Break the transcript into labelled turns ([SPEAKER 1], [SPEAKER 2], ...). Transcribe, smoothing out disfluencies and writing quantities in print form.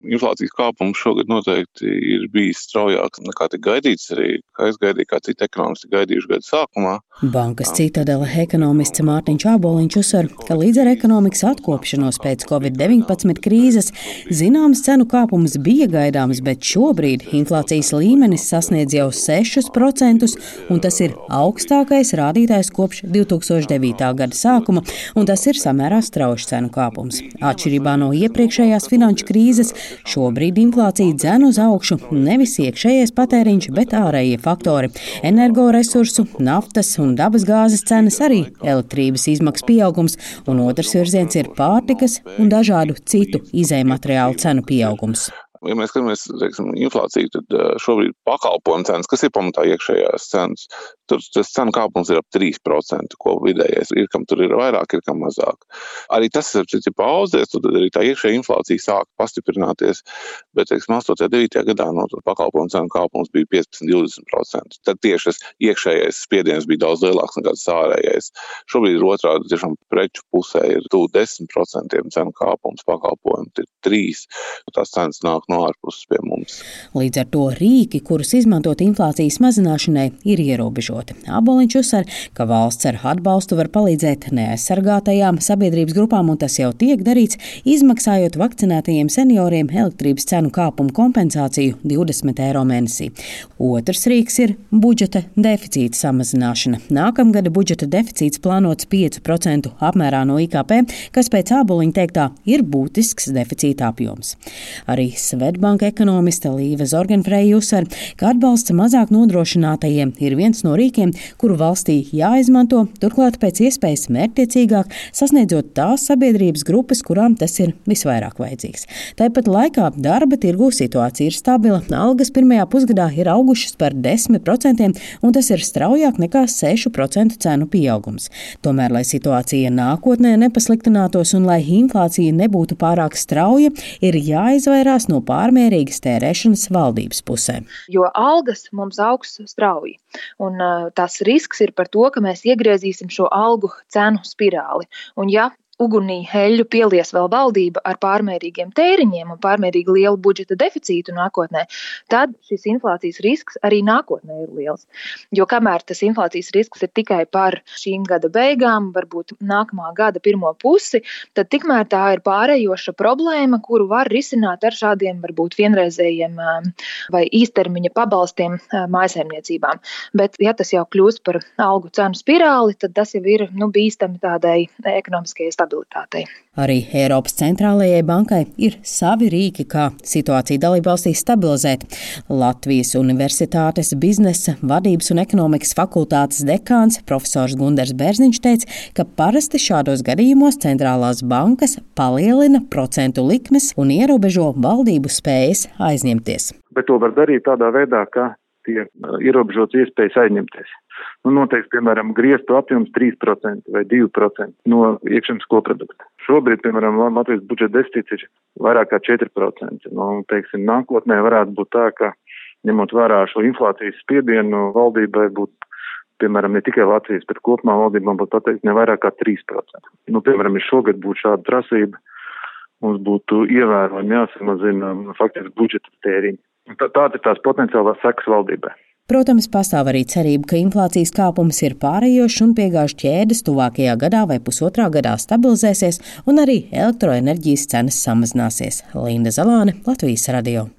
[SPEAKER 1] inflācijas kāpums šogad noteikti ir bijis straujāks nekā tika gaidīts, arī kā es gaidīju, kā citi ekonomisti gaidījuši gada sākumā.
[SPEAKER 2] Bankas Citadele ekonomists Mārtiņš Āboliņš uzsver, ka līdz ar ekonomikas atkopšanos pēc Covid-19 krīzes zināms cenu kāpums bija gaidāms, bet šobrīd inflācijas līmenis sasniedz jau 6%, un tas ir augstākais rādītājs kopš 2009. gada sākuma, un tas ir samērā strauji cenu kāpums. Atšķirībā no iepriekšējās finanšu krīzes, šobrīd inflācija dzen uz augšu nevis iekšējais patēriņš, bet ārējie faktori - energoresursu, naftas un dabasgāzes cenas, arī elektrības izmaksu pieaugums, un otrs virziens ir pārtikas un dažādu citu izējmateriālu cenu pieaugums.
[SPEAKER 1] Ja mēs skatāmies, inflāciju, tad šobrīd pakalpojumu cenas, kas ir pamatā iekšējās cenas, tur tas cenu kāpums ir ap 3%, ko vidējais ir, kam tur ir vairāk, ir kam mazāk. Arī tas ir pauzēs, tad arī tā iekšējā inflācija sāk pastiprināties, bet, 8. 9. gadā no pakalpojumu cenu kāpums bija 15–20%. Tad tieši tas iekšējais spiediens bija daudz lielāks nekā tas ārējais. Šobrīd ir otrādi, tiešām preču pusē ir tuvu 10% cenu kāpums, pakalpojumu ir 3%, tās cenas nāk no ārpuses pie mums.
[SPEAKER 2] Līdz ar to rīki, kurus izmantot inflācijas mazināšanai, ir ierobežoti. Āboliņš uzsver, ka valsts ar atbalstu var palīdzēt neaizsargātajām sabiedrības grupām, un tas jau tiek darīts, izmaksājot vakcinētajiem senioriem elektrības cenu kāpumu kompensāciju 20 eiro mēnesī. Otrs rīks ir budžeta deficīta samazināšana. Nākamgada budžeta deficīts plānots 5% apmērā no IKP, kas pēc Āboliņa teiktā ir būtisks deficīta apjoms. Arī Svedbanka ekonomiste Līva Zorgenfreja uzsver, ka atbalsts mazāk nodrošinātajiem ir viens no rīkiem, kuru valstī jāizmanto, turklāt pēc iespējas mērķtiecīgāk, sasniedzot tās sabiedrības grupas, kurām tas ir visvairāk vajadzīgs. Tāpat laikā darba tirgū situācija ir stabila. Algas pirmajā pusgadā ir augušas par 10%, un tas ir straujāk nekā 6% cenu pieaugums. Tomēr, lai situācija nākotnē nepasliktinātos un lai inflācija nebūtu pārāk strauja, ir jāizvairās no pārmērīgas tērēšanas valdības pusē.
[SPEAKER 3] Jo algas mums augs strauji, un tas risks ir par to, ka mēs iegriezīsim šo algu cenu spirāli. Un ja ugunī eļļu pielies vēl valdība ar pārmērīgiem tēriņiem un pārmērīgi lielu budžeta deficītu nākotnē, tad šis inflācijas risks arī nākotnē ir liels. Jo kamēr tas inflācijas risks ir tikai par šīm gada beigām, varbūt nākamā gada pirmo pusi, tad tikmēr tā ir pārējoša problēma, kuru var risināt ar šādiem varbūt vienreizējiem vai īstermiņa pabalstiem mājsaimniecībām. Bet ja tas jau kļūst par algu cenu spirāli, tad tas jau ir bīstami tādai ekonomiskajai stabilitātei.
[SPEAKER 2] Arī Eiropas centrālajai bankai ir savi rīki, kā situāciju dalībvalstīs stabilizēt. Latvijas Universitātes biznesa, vadības un ekonomikas fakultātes dekāns profesors Gundars Bērziņš teica, ka parasti šādos gadījumos centrālās bankas palielina procentu likmes un ierobežo valdību spējas aizņemties.
[SPEAKER 4] Bet to var darīt tādā veidā, ka tiek ierobežots iespējas aizņemties. Noteikti, piemēram, griestu apjoms 3% vai 2% no iekšzemes koprodukta. Šobrīd, piemēram, Latvijas budžeta deficīts ir vairāk kā 4%. Nākotnē varētu būt tā, ka ņemot vērā šo inflācijas spiedienu, valdībai būtu, piemēram, ne tikai Latvijas, bet kopumā valdībām būtu pateikt ne vairāk kā 3%. Piemēram, ja šogad būtu šāda prasība, mums būtu ievērojami jāsamazina faktiski budžeta tēriņi. Tāda ir tās potenciālās sekas valdībai.
[SPEAKER 2] Protams, pastāv arī cerība, ka inflācijas kāpums ir pārējošs un piegāžu ķēdes tuvākajā gadā vai pusotrā gadā stabilizēsies un arī elektroenerģijas cenas samazināsies. Linda Zalāne, Latvijas radio.